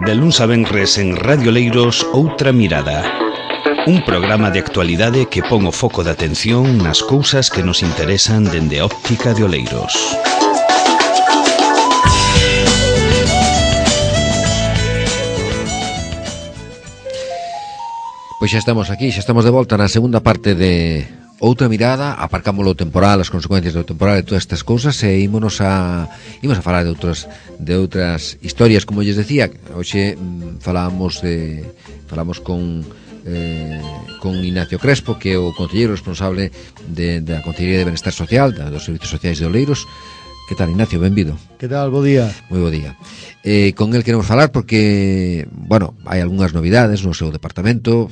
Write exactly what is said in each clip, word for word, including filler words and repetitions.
De luns a venres en Radio Oleiros, Outra Mirada. Un programa de actualidade que pon o foco de atención nas cousas que nos interesan dende a óptica de Oleiros. Pois xa estamos aquí, xa estamos de volta na segunda parte de Outra Mirada. Aparcamos o temporal, as consecuencias do temporal e todas estas cousas, e ímonos a ímonos a falar de outras de outras historias, como lles decía. Hoxe mm, falamos de falamos con eh, con Ignacio Crespo, que é o concelleiro responsable de, da Concellería de Benestar Social, da, dos Servizos Sociais de Oleiros. Que tal, Ignacio? Benvido. Que tal? Bo día. Moi bo día. Eh, con el queremos falar porque, bueno, hai algunhas novidades no seu departamento.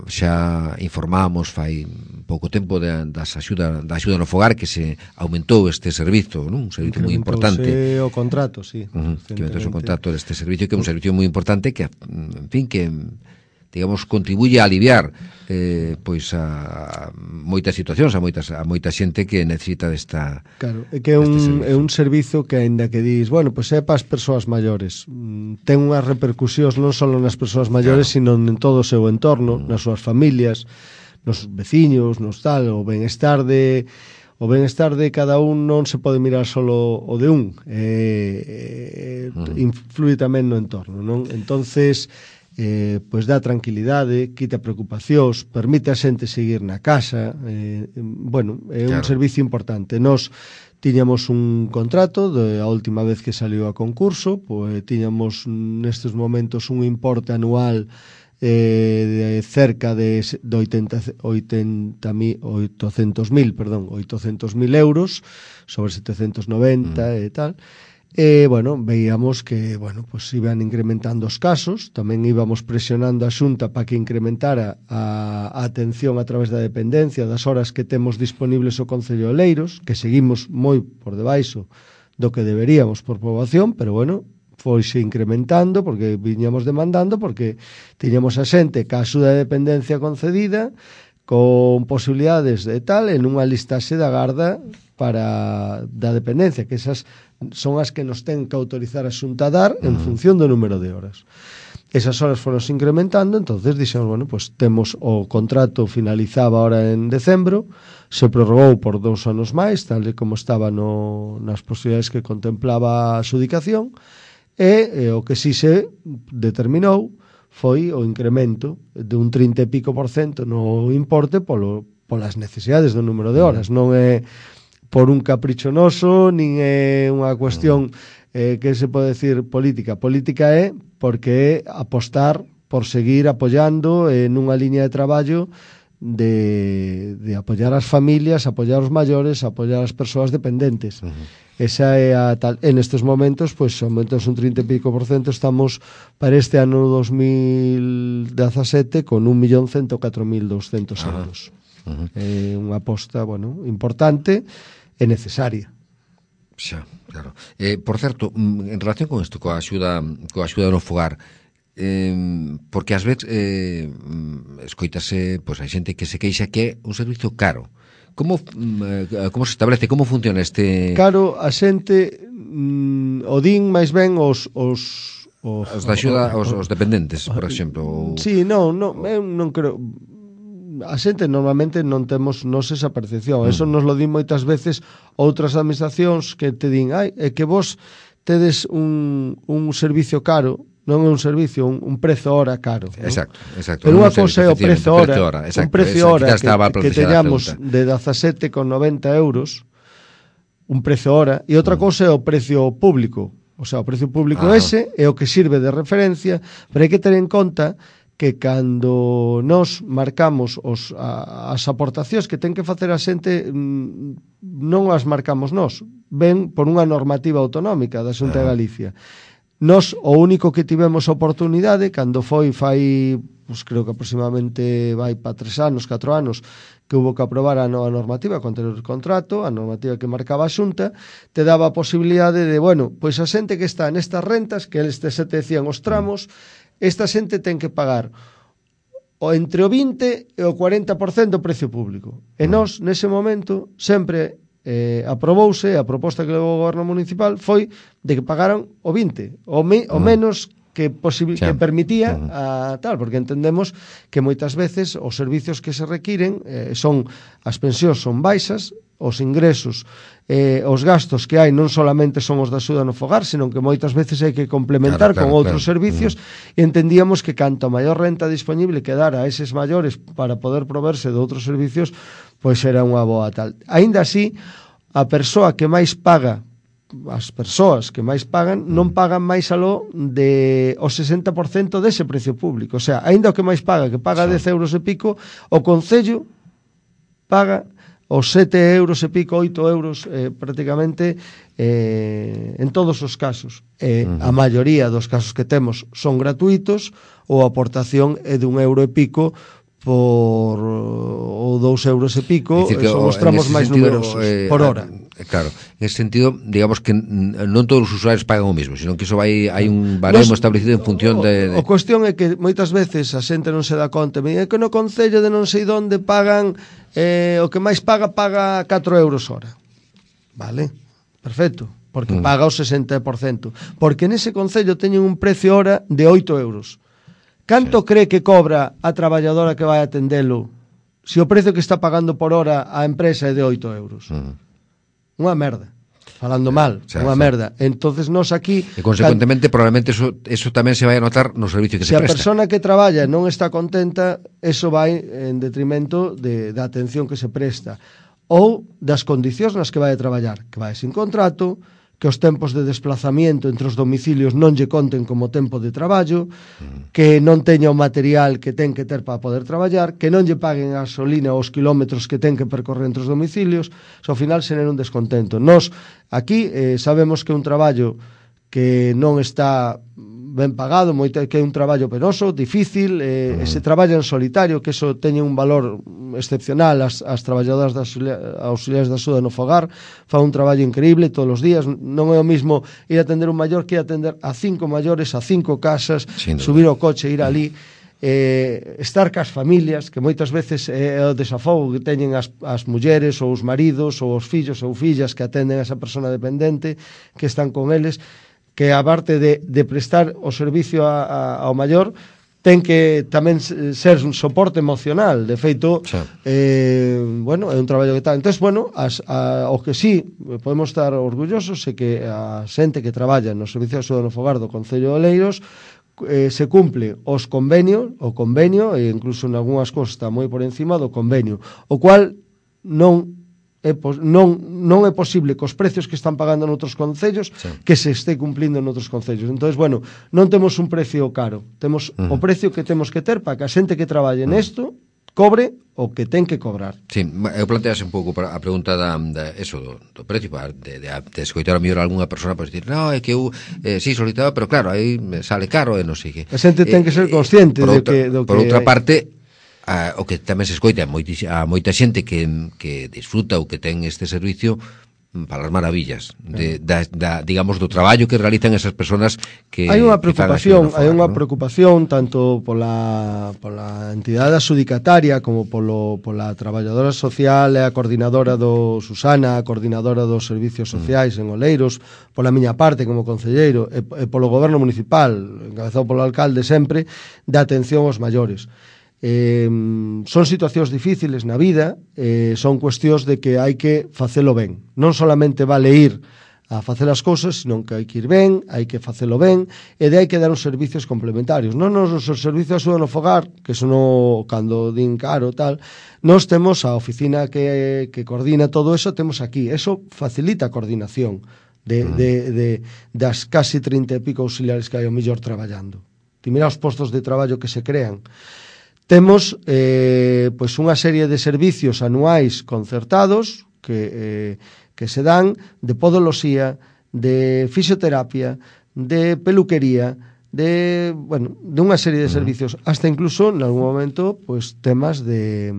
Xa informamos fai pouco tempo de, das axuda, da axuda no fogar, que se aumentou este servizo, non? Un servizo moi importante. O contrato, sí. Uh -huh, que aumentou o contrato deste servicio, que é un servicio moi importante que, en fin, que digamos, contribuye a aliviar eh, pois a, a moitas situacións, a moitas a moita xente que necesita desta. Claro, é que é un, é un servizo que, aínda que dis, bueno, pois é para as persoas maiores, ten unhas repercusións non só nas persoas maiores, claro, sino en todo o seu entorno, mm. nas súas familias, nos veciños, nos tal, o benestar de o benestar de cada un non se pode mirar solo o de un, eh, eh, mm. influi tamén no entorno, non? Entonces, Eh, pois dá tranquilidade, quita preocupacións, permite a xente seguir na casa, eh, bueno, é un claro. servicio importante. Nós tiñamos un contrato de a última vez que saliu a concurso, pois tiñamos nestes momentos un importe anual eh, de cerca de, de oitenta, oitocentos mil, perdón, oitocentos mil euros, sobre setecentos noventa mm. e tal. E, bueno, veíamos que, bueno, pues iban incrementando os casos, tamén íbamos presionando a Xunta para que incrementara a, a atención a través da dependencia, das horas que temos disponibles o Concello de Oleiros, que seguimos moi por debaixo do que deberíamos por poboación, pero, bueno, foise incrementando, porque viñamos demandando, porque tiñamos a xente ca axuda de dependencia concedida, con posibilidades de tal, en unha listaxe da garda para da dependencia, que esas son as que nos ten que autorizar a Xunta a dar en función do número de horas. Esas horas foron incrementando, entonces dixemos, bueno, pues temos o contrato finalizaba ahora en decembro, se prorrogou por dous anos máis, tal e como estaba no, nas posibilidades que contemplaba a adxudicación, e, e o que si se determinou foi o incremento de un trinta e pico por cento no importe polo, polas necesidades do número de horas. Non é por un capricho noso, nin é unha cuestión eh, que se pode decir política. Política é porque é apostar por seguir apoiando eh, nunha liña de traballo de, de apoiar as familias, apoiar os maiores, apoiar as persoas dependentes. Uh -huh. Esa é a tal. En estes momentos, pois, aumentos un trinta e pico por cento, estamos para este ano dos mil dezasete con un millón cento catro mil douscentos euros. Uh -huh. É unha aposta, bueno, importante e necesaria. Xa, claro. Eh, por certo, en relación con isto, coa axuda, coa axuda no fogar, eh, porque ás veces eh, escoítase, pois hai xente que se queixa que é un servicio caro. Como eh, como se establece, como funciona este? Caro, a xente mm, o din máis ben os os os, os da axuda aos, os dependentes, por exemplo. Ou... Sí, non, non, eu non creo. A xente normalmente non temos nos esa percepción. Mm. Eso nos lo din moitas veces outras administracións que te din, ai, é que vos tedes un, un servicio caro, non é un servicio, un, un prezo hora caro. Exacto, ¿no? Exacto. Pero unha cousa é o prezo hora, hora un prezo hora que, que teñamos de dezasete con noventa euros, un prezo hora, e outra mm. cousa é o precio público. O sea, o precio público ah. ese é o que sirve de referencia, pero hai que ter en conta que cando nos marcamos os, a, as aportacións que ten que facer a xente, non as marcamos nós, ven por unha normativa autonómica da Xunta de Galicia. Nos, o único que tivemos oportunidade, cando foi, fai, pues, creo que aproximadamente vai para tres anos, catro anos, que hubo que aprobar a nova normativa contra o contrato, a normativa que marcaba a Xunta, te daba a posibilidade de, bueno, pois a xente que está nestas rentas, que eles te se te decían os tramos, esta xente ten que pagar o entre o vinte e o cuarenta por cento do precio público. E nós, nese momento, sempre eh, aprobouse, a proposta que levou o goberno municipal foi de que pagaran o vinte, o, me, o menos que, posibil, sí. que permitía uh-huh. a tal, porque entendemos que moitas veces os servicios que se requiren eh, son, as pensións son baixas, os ingresos, eh, os gastos que hai non solamente son os da axuda no fogar, senón que moitas veces hai que complementar claro, claro, con outros claro. servicios uh-huh. e entendíamos que canto maior renta disponible quedara a eses maiores para poder proverse de outros servicios, pois era unha boa tal. Aínda así, a persoa que máis paga as persoas que máis pagan non pagan máis aló de o sesenta por cento dese precio público, o sea, aínda o que máis paga, que paga sí. dez euros e pico, o Concello paga os sete euros e pico, oito euros eh, prácticamente eh, en todos os casos. Eh, uh-huh. A maioría dos casos que temos son gratuitos ou a aportación é de un euro e pico por ou dous euros e pico, son os tramos máis sentido, numerosos eh, por hora. Eh, claro, en ese sentido, digamos que non todos os usuarios pagan o mismo, sino que iso vai hai un baremo Nos, establecido en función de, de... O, o cuestión é que moitas veces a xente non se dá conta, é que no concello de non sei onde pagan eh, o que máis paga, paga catro euros hora. Vale, perfecto, porque mm. paga o sesenta por cento. Porque nese concello teñen un precio hora de oito euros. Canto sí. cree que cobra a traballadora que vai atendelo se o precio que está pagando por hora a empresa é de oito euros? Uh-huh. Unha merda. Falando mal, sí, unha sí. merda. Entonces nos aquí... E consecuentemente, can... probablemente eso, eso tamén se vai a notar no servicio que se, se presta. Se a persona que traballa non está contenta, eso vai en detrimento de, da atención que se presta. Ou das condicións nas que vai a traballar. Que vai sin contrato, que os tempos de desplazamiento entre os domicilios non lle conten como tempo de traballo, mm. que non teña o material que ten que ter para poder traballar, que non lle paguen a gasolina os kilómetros que ten que percorrer entre os domicilios, so, ao final se nen un descontento. Nos, aquí, eh, sabemos que é un traballo que non está ben pagado, moito, que é un traballo penoso, difícil, eh, mm. se traballa en solitario, que eso teñe un valor excepcional, as, as traballadoras das auxiliares da axuda no fogar fan un traballo increíble todos os días, non é o mismo ir a atender un maior que ir a atender a cinco maiores, a cinco casas, subir o coche, ir ali, eh, estar cas familias, que moitas veces é o desafogo que teñen as, as mulleres ou os maridos ou os fillos ou fillas que atenden a esa persona dependente, que están con eles, que a parte de, de prestar o servicio a, a, ao maior, ten que tamén ser un soporte emocional. De feito, sí. eh, bueno, é un traballo que tal. Entón, bueno, as, a, o que sí podemos estar orgullosos é que a xente que traballa no Servicio de Axuda no Fogar do Concello de Oleiros eh, se cumple os convenios, o convenio, e incluso en algunhas cosas está moi por encima do convenio, o cual non É, non, non é posible cos precios que están pagando noutros concellos sí. que se este cumplindo noutros concellos. Entón, bueno, non temos un precio caro, temos uh-huh. o precio que temos que ter para que a xente que traballe uh-huh. nesto cobre o que ten que cobrar. Sí, eu plantease un pouco a pregunta da, da eso, do, do precio, de, de, de escoitar a mellor algunha persona para dicir, no, é que eu, eh, sí, solicitaba, pero claro, aí sale caro e non sei que. A xente ten que ser consciente eh, de que, do por que outra hai. parte, a, o que tamén se escoita a, moiti, a moita xente que, que disfruta ou que ten este servicio para as maravillas de, da, da, digamos, do traballo que realizan esas personas que hai unha preocupación, hai unha ¿no? preocupación tanto pola, pola entidade adxudicataria como polo, pola traballadora social e a coordinadora do Susana, a coordinadora dos servicios sociais mm. en Oleiros, pola miña parte como concelleiro e, e polo goberno municipal, encabezado polo alcalde sempre, da atención aos maiores. Eh, son situacións difíciles na vida, eh, son cuestións de que hai que facelo ben. Non solamente vale ir a facer as cousas, senón que hai que ir ben, hai que facelo ben, e de hai que dar os servicios complementarios. Non nos os servicios de axuda no fogar, que son o, cando din caro tal, nos temos a oficina que, que coordina todo eso, temos aquí. Eso facilita a coordinación de, uh-huh. de, de, das casi trinta e pico auxiliares que hai o mellor traballando. Ti mira os postos de traballo que se crean. Temos eh, pois unha serie de servicios anuais concertados que, eh, que se dan de podoloxía, de fisioterapia, de peluquería, de, bueno, de unha serie de servicios, hasta incluso, en algún momento, pois temas de,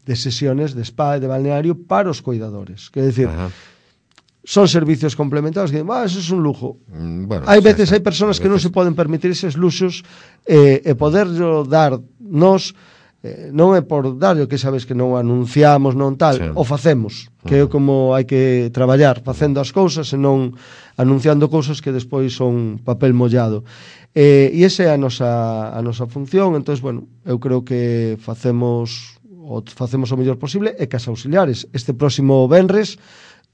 de sesiones de spa e de balneario para os cuidadores. Quer decir, ajá. Son servicios complementarios que, ah, eso es un lujo. Mm, bueno, hai veces, hai persoas que non se poden permitir eses luxos eh, e poderlo dar nos eh, non é por darlle, que sabes que non anunciamos, non tal, sí. O facemos, que é como hai que traballar, facendo as cousas e non anunciando cousas que despois son papel mollado. Eh, e esa é a nosa, a nosa función. Entón, bueno, eu creo que facemos o facemos o mellor posible, e cas auxiliares. Este próximo venres,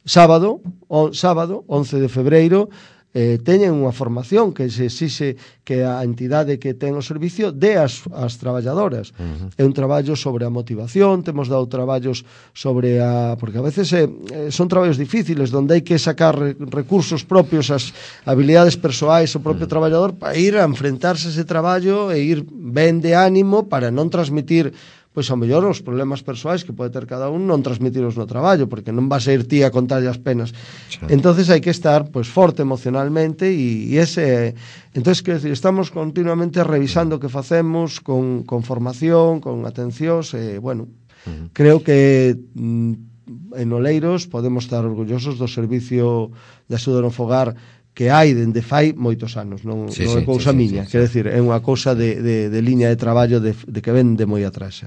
sábado, o, sábado, once de febreiro, eh, teñen unha formación que se exixe que a entidade que ten o servicio dé as, as traballadoras. Uh-huh. É un traballo sobre a motivación, temos dado traballos sobre a... porque a veces eh, son traballos difíciles, onde hai que sacar re, recursos propios, as habilidades persoais, o propio uh-huh. traballador, para ir a enfrentarse a ese traballo e ir ben de ánimo para non transmitir, pois ao mellor os problemas persoais que pode ter cada un, non transmitiros no traballo, porque non vas a ir ti a contarlle as penas. Sí. Entonces hai que estar pois forte emocionalmente, e, e ese... Entonces, quero decir, estamos continuamente revisando o que facemos con, con formación, con atencións, e, bueno, uh-huh. creo que mm, en Oleiros podemos estar orgullosos do servicio de axuda no fogar que hai dende fai moitos anos, non, sí, non é cousa sí, miña, sí, quero sí. decir, é unha cousa de, de, de liña de traballo de, de que ven de moi atrás.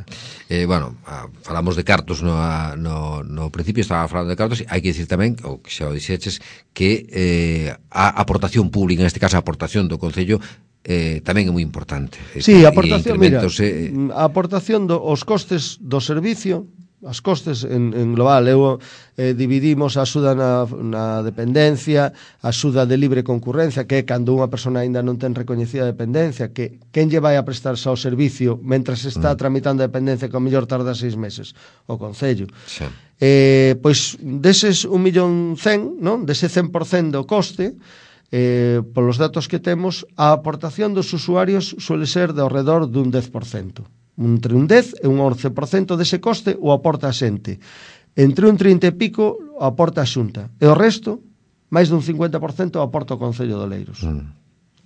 Eh, bueno, a, falamos de cartos no, no, no principio, estaba falando de cartos, hai que dicir tamén, ou que xa o dixeches, que eh, a aportación pública, en este caso a aportación do Concello, eh, tamén é moi importante. Sí, a aportación, mira, eh... a aportación dos costes do servicio, as costes en, en global, eu eh, dividimos a axuda na, na dependencia, a axuda de libre concurrencia, que é cando unha persona aínda non ten recoñecida a dependencia, que quen lle vai a prestar xa o servicio mentras está mm. tramitando a dependencia, que ao mellor tarda seis meses, o Concello. Sí. Eh, pois deses un millón cen, non? Dese cen por cen do coste, eh, polos datos que temos, a aportación dos usuarios suele ser de ao redor dun dez por cento. Entre un dez e un once por cento dese coste o aporta a xente. Entre un trinta e pico o aporta a Xunta. E o resto, máis dun cincuenta por cento o aporta o Concello de Oleiros. Mm.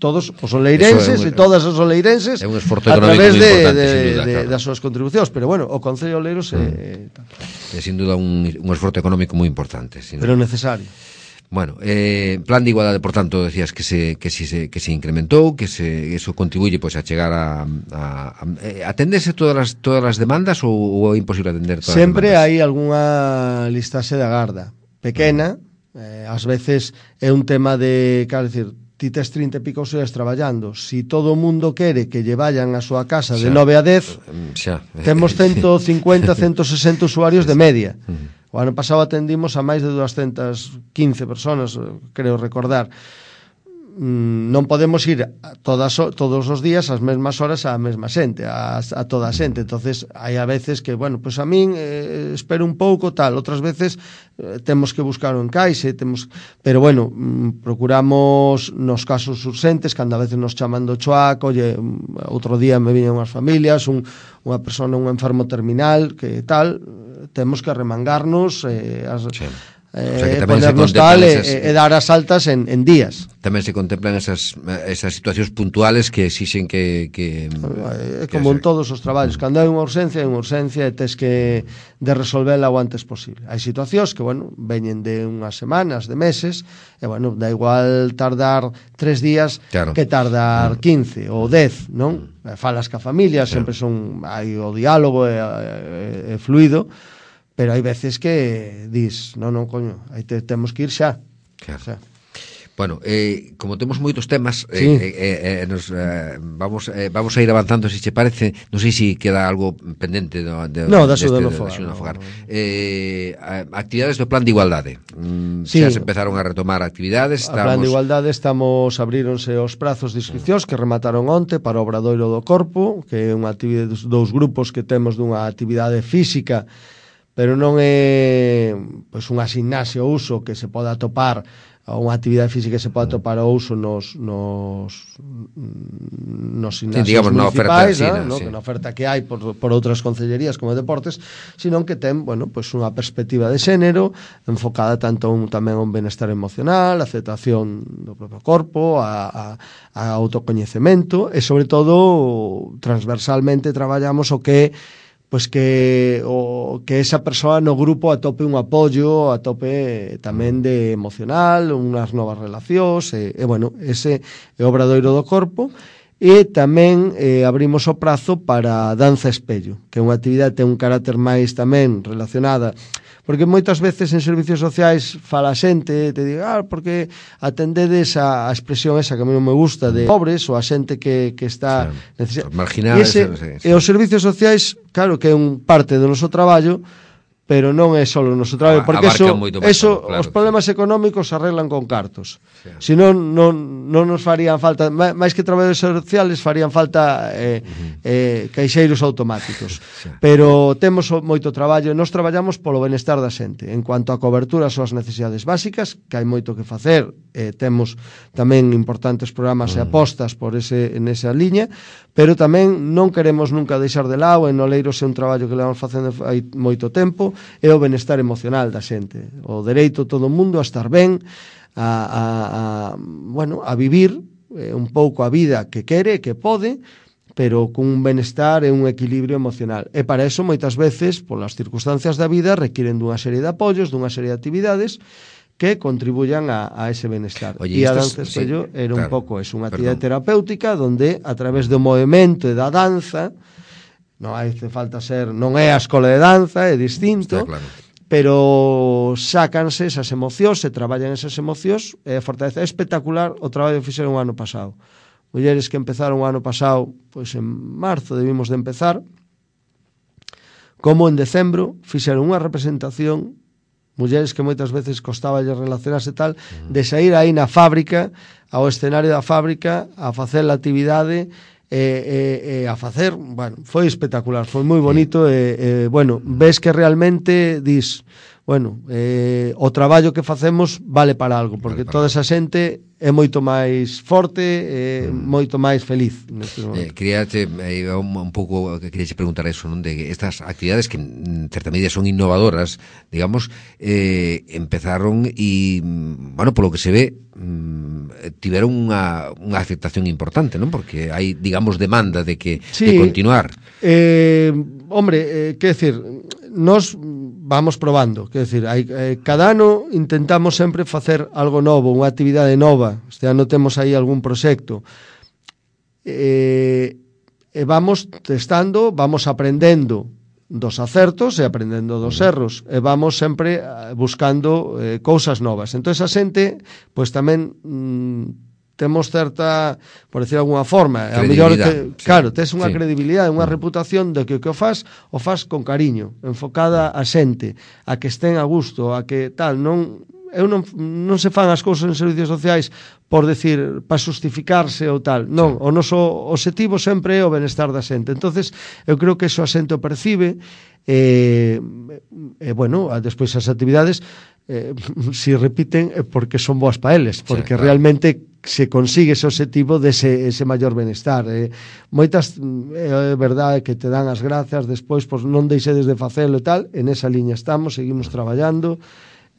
Todos os oleirenses un, e todas as oleirenses é un esforzo a través de, de, duda, de, claro. das súas contribucións. Pero bueno, o Concello de Oleiros é... Mm. É sin duda un, un esforzo económico moi importante. Pero necesario. Bueno, eh, plan de igualdade, por tanto, decías que se que si se que se incrementou, que se eso contribuye pois pues, a chegar a, a, a eh, atendese todas as todas as demandas, ou, ou é imposible atender todas Sempre as demandas? Sempre hai algunha listaxe de agarda pequena, mm. eh, ás veces é un tema de, quero dicir, ti tes trinta e pico horas traballando, si todo o mundo quere que lle vayan a súa casa xa. de nove a dez, xa. temos ciento cincuenta, ciento sesenta usuarios de media. Mm. O ano pasado atendimos a máis de doscientas quince personas, creo recordar. Non podemos ir todas, todos os días ás mesmas horas á mesma xente, a, a toda a xente. Entonces hai a veces que, bueno, pois pues a min eh, espero un pouco, tal. Outras veces eh, temos que buscar un encaixe, temos... pero bueno, mm, procuramos nos casos urxentes, cando a veces nos chaman do choaco, oye, outro día me viñan unhas familias, un, unha persona, un enfermo terminal, que tal, temos que arremangarnos, eh, as... Sí. Eh, o sea, ponernos tal esas... e, e dar as altas en, en días. Tamén se contemplan esas, esas situacións puntuales que exixen que... que é como que en todos os traballos, cando hai unha urxencia, hai unha urxencia e tes que de resolverla o antes posible. Hai situacións que, bueno, veñen de unhas semanas, de meses, e, bueno, da igual tardar tres días claro. que tardar quince ou dez, non? Mm. Falas ca familia, claro. sempre son, hai o diálogo e, e, e fluido, pero hai veces que dis, non, non, coño, aí te, temos que ir xa. Claro. Xa. Bueno, eh, como temos moitos temas, sí. eh, eh, eh, nos, eh, vamos, eh, vamos a ir avanzando, se che parece. Non sei se queda algo pendente do, de, no, da axuda no fogar, no fogar. Eh, actividades do plan de igualdade. Mm, sí. Xa se empezaron a retomar actividades. Estamos... A plan de igualdade estamos, abríronse os prazos de inscripcións que remataron onte para o Obradoiro do Corpo, que é unha actividade dos dous grupos que temos dunha actividade física, pero non é pois unha gimnasia ou uso que se poda atopar, unha actividade física que se poda atopar ao uso nos nos nos gimnasios sí, digamos, municipais, na oferta, ¿no? Sí, no? Que na oferta que hai por, por outras concellerías como deportes, senón que ten, bueno, pois unha perspectiva de xénero enfocada tanto un, tamén a un benestar emocional, a aceptación do propio corpo, a, a, a autocoñecemento, e sobre todo transversalmente traballamos o que pois que o que esa persoa no grupo atope un apoio, atope tamén de emocional, unhas novas relacións, e, e bueno, ese é o Obradoiro do Corpo. e tamén eh, abrimos o prazo para danza espello, que é unha actividade que ten un carácter máis tamén relacionada, porque moitas veces en servicios sociais fala a xente, te diga, ah, porque atendedes a, a expresión esa que a mí non me gusta de pobres ou a xente que, que está sí, marginada. E, ese, sí, sí. e os servicios sociais, claro que é un parte do noso traballo, pero non é só o noso traballo, porque eso, eso claro, os problemas económicos se arreglan con cartos. Sí. Se non, non, non nos farían falta, máis que traballos sociales, farían falta eh, uh-huh. eh, caixeiros automáticos. Sí. Pero temos moito traballo, nós traballamos polo benestar da xente. En cuanto a cobertura ás necesidades básicas, que hai moito que facer, eh, temos tamén importantes programas uh-huh. e apostas por ese, en esa liña, pero tamén non queremos nunca deixar de lado, en Oleiros é un traballo que levamos facendo hai moito tempo, é o benestar emocional da xente, o dereito todo o mundo a estar ben, a, a, a bueno, a vivir eh, un pouco a vida que quere, que pode, pero con un benestar e un equilibrio emocional. E para eso, moitas veces, polas circunstancias da vida, requiren dunha serie de apoios, dunha serie de actividades que contribuyan a, a ese benestar. Oye, e a danza espello sí, era claro, un pouco eso, unha actividade perdón. terapéutica donde, a través do movimento e da danza, non hai falta ser, non é a escola de danza, é distinto, claro. Pero sácanse esas emocións, se traballan esas emocións, é fortaleza. É espectacular o traballo que fixeron o ano pasado. Mulleres que empezaron o ano pasado, pois en marzo debimos de empezar, como en decembro fixeron unha representación, mulleres que moitas veces costaba relacionarse tal, de sair aí na fábrica, ao escenario da fábrica, a facer a actividade, E, e, e a facer, bueno, foi espectacular, foi moi bonito e, e bueno, ves que realmente dis, bueno, eh, o traballo que facemos vale para algo, porque vale para toda esa xente é moito máis forte e mm. moito máis feliz neste momento. Eh, queríache eh, un, un pouco queríache preguntar eso, non, de estas actividades que en certa medida son innovadoras, digamos, eh, empezaron e, bueno, polo que se ve, mm, tiveron unha, unha aceptación importante, non? Porque hai, digamos, demanda de que sí, de continuar. Eh, hombre, eh, que decir, nos vamos probando, que decir, hai, eh, cada ano intentamos sempre facer algo novo, unha actividade nova. Este ano temos aí algún proxecto. Eh, e vamos testando, vamos aprendendo dos acertos e aprendendo dos erros, e vamos sempre buscando eh, cousas novas. Entón, a xente, pois tamén mm, temos certa, por decir alguna forma, a mellor que, sí, claro, tes unha sí. credibilidade, unha mm. reputación de que o que o faz, o faz con cariño, enfocada a xente, a que estén a gusto, a que tal, non eu non, non se fan as cousas en servicios sociais por decir, para justificarse ou tal, non, sí. o noso obxectivo sempre é o benestar da xente. Entonces, eu creo que eso a xente o percibe e, e bueno, despois as actividades eh, si repiten é porque son boas para eles, porque sí, claro. realmente se consigue ese obxectivo de ese, ese maior benestar. Eh, moitas, é eh, verdade que te dan as grazas, despois pois, non deixedes de facelo e tal, en esa liña estamos, seguimos traballando,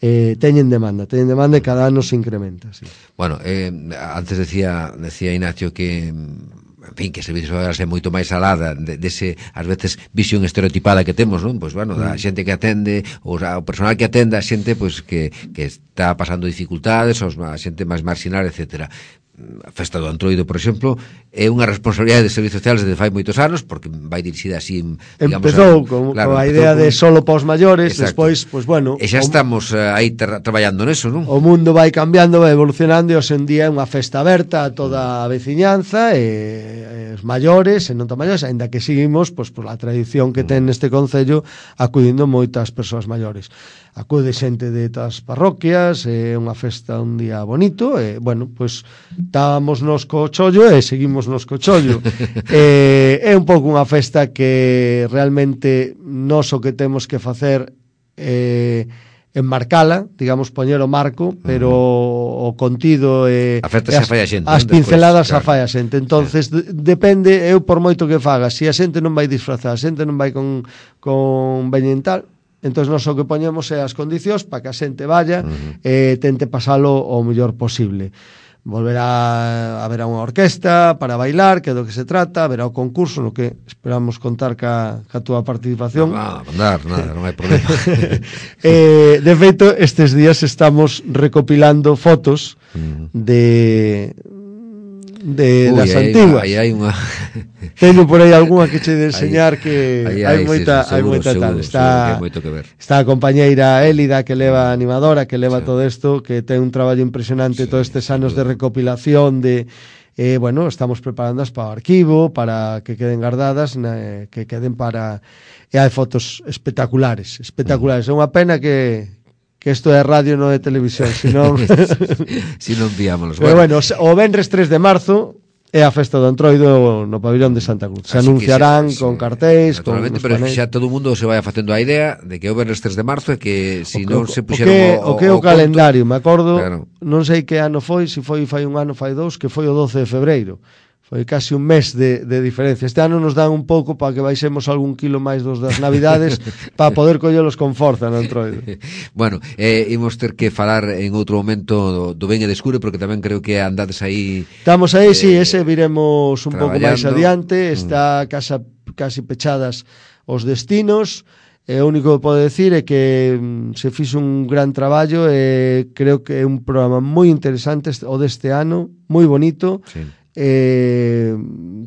eh, teñen demanda, teñen demanda e cada ano se incrementa. Sí. Bueno, eh, antes decía, decía Ignacio que, en fin, que servicios sociais é moito máis alada de, dese, ás veces, visión estereotipada que temos, non? Pois, bueno, da xente que atende, ou o personal que atende, a xente, pois, que, que está pasando dificultades, ou a xente máis marginal, etcétera. A Festa do Antroido, por exemplo, é unha responsabilidade de servicios sociales desde fai moitos anos, porque vai dirixida así, digamos, empezou con, claro, con a idea con... de solo para os maiores, despois, pois bueno, e xa estamos o... aí tra traballando neso, non? O mundo vai cambiando, vai evolucionando, e hoxe en día é unha festa aberta a toda a veciñanza e, e os maiores, e non tan maiores, aínda que seguimos, pois, por a tradición que ten neste concello, acudindo moitas persoas maiores. Acude xente de todas as parroquias, é unha festa un día bonito, e, bueno, pois estábamos nos co chollo e seguimos nos co chollo. eh, é un pouco unha festa que realmente nós o que temos que facer é enmarcala, digamos, poñer o marco, pero uh -huh. o contido e, a festa xa fai a xente, as pinceladas xa fai a xente. Entonces, sí. de, depende, eu por moito que faga, se a xente non vai disfrazar, a xente non vai con, con veñental, entón nós o que poñemos é as condicións para que a xente vaya uh -huh. e tente pasalo o mellor posible. Volverá a haber unha orquesta para bailar, que é do que se trata, haberá o concurso no que esperamos contar ca, ca túa participación. Non, non, nada, nada, non hai problema. eh, de feito, estes días estamos recopilando fotos uh -huh. de de, Ui, das aí, antiguas. aí hai unha... Teño por aí algunha que che de enseñar que aí, hai aí, moita, sí, hai seguro, moita seguro, tal. seguro Está, que hai moito que ver. está a compañeira Élida, que leva a animadora, que leva Sí. todo isto, que ten un traballo impresionante Sí, todos estes sin anos de duda. recopilación de eh, bueno, estamos preparándolas para o arquivo, para que queden guardadas, na, que queden para... E hai fotos espectaculares, espectaculares. É unha pena que que isto é radio, non é televisión, senón... Si non enviámonos. Pero bueno, o venres tres de marzo é a festa do Entroido no pabillón de Santa Cruz. Se Así anunciarán que xa- con xa- cartéis, con naturalmente, os pero é que panéis. xa todo o mundo se vai facendo a idea de que o venres tres de marzo e que se si non se o puxeron que, o, o que é o conto, calendario, me acordo, claro. non sei que ano foi, se foi fai un ano, fai dous, que foi o doce de febreiro. Foi casi un mes de, de diferencia. Este ano nos dan un pouco para que baixemos algún kilo máis dos das Navidades para poder collelos con forza no Entroido. Bueno, eh, imos ter que falar en outro momento do, do Ben e Descure, porque tamén creo que andades aí... Estamos aí, eh, sí, ese viremos un pouco máis traballando. adiante. Está casa, casi pechadas os destinos. E o único que podo decir é que mm, se fixo un gran traballo e creo que é un programa moi interesante este- o deste ano, moi bonito. Sí. Eh,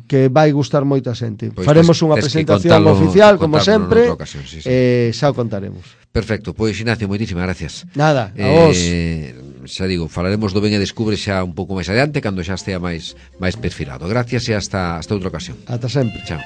que vai gustar moito a xente. Pois Faremos tes- unha tes que presentación contalo- oficial, como contármolo sempre, noutra ocasión, sí, sí. eh, xa o contaremos. Perfecto, pois Ignacio, moitísimas gracias. Nada, a vos. Eh, xa digo, falaremos do Ben e Descubre xa un pouco máis adiante, cando xa estea máis máis perfilado. Gracias e hasta hasta outra ocasión. Ata sempre. Chao.